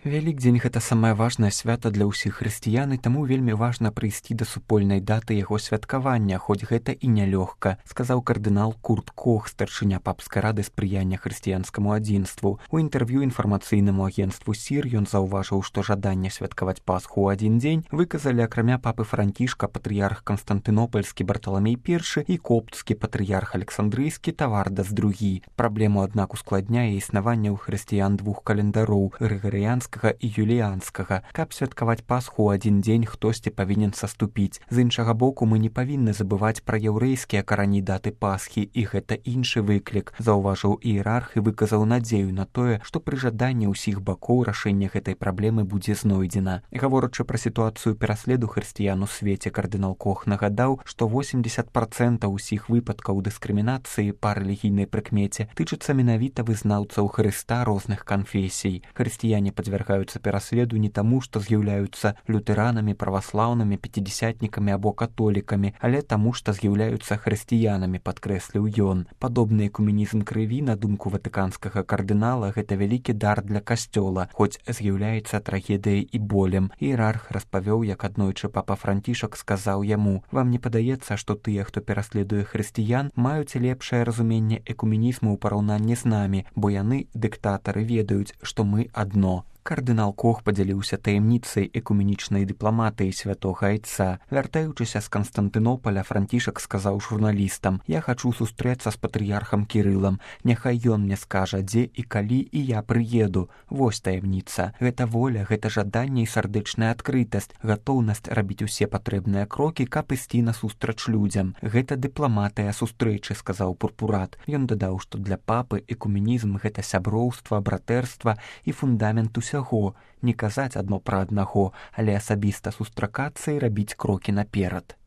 Вялікдзень гэта самае важнае свята для ўсіх хрысціян, і таму вельмі важна прыйсці да супольнай даты яго святкавання, хоць гэта і нялёгка, сказаў кардынал Курт Кох, старшыня папскай рады спрыяння хрысціянскаму адзінству. У інтэрв'ю інфармацыйнаму агенцтву СІР ён заўважыў, што жаданне святкаваць Пасху ў адзін дзень выказалі акрамя папы Францішка патрыярх Канстантынопальскі Барталамей I і коптскі патрыярх Александрыйскі Тавардас II. Праблему, аднак, ускладняе існаванне ў хрысціян двух календароў грыгарыянскага і юліянскага. Каб святкаваць Пасху ў адзін дзень, хтосьці павінен саступіць. З іншага боку, мы не павінны забываць пра яўрэйскія карані даты Пасхі, і гэта іншы выклік, заўважыў іерарх і выказаў надзею на тое, што пры жаданні ўсіх бакоў рашэнне гэтай праблемы будзе знойдзена. Гаворачы пра сітуацыю пераследу хрысціян у свеце, кардынал Кох нагадаў, што 80% усіх выпадкаў дыскрымінацыі па рэлігійнай прыкмеце тычыцца менавіта вызнаўцаў Хрыста розных канфесій. Хрысціяне падвяргаюцца пераследу не таму, што з'яўляюцца лютэранамі, праваслаўнымі, пяцідзясятнікамі або католікамі, але таму, што з'яўляюцца хрысціянамі, падкрэсліў ён. Падобны экуменізм крыві, на думку ватыканскага кардынала, гэта вялікі дар для касцёла, хоць з'яўляецца трагедыяй і болем. Іерарх распавёў, як аднойчы папа Францішак сказаў яму: «Вам не падаецца, што тыя, хто пераследуе хрысціян, маюць лепшае разуменне экуменізму ў параўнанні з намі, бо яны, дыктатары, ведаюць, што мы адно». Кардынал Кох падзяліўся таямніцай экуменічнай дыпламатыі святога айца. Вяртаючыся з Канстантынопаля, Францішак сказаў журналістам: «Я хачу сустрэцца з патрыярхам Кірылам. Няхай ён мне скажа, дзе і калі, і я прыеду. Вось таямніца. Гэта воля, гэта жаданне і сардэчная адкрытасць, гатоўнасць рабіць усе патрэбныя крокі, каб ісці насустрач людзям. Гэта дыпламатыя сустрэчы», сказаў пурпурат. Ён дадаў, што для папы экуменізм гэта сяброўства, братэрства і фундамент усяго. Не казаць адно пра аднаго, але асабіста сустракацца і рабіць крокі наперад.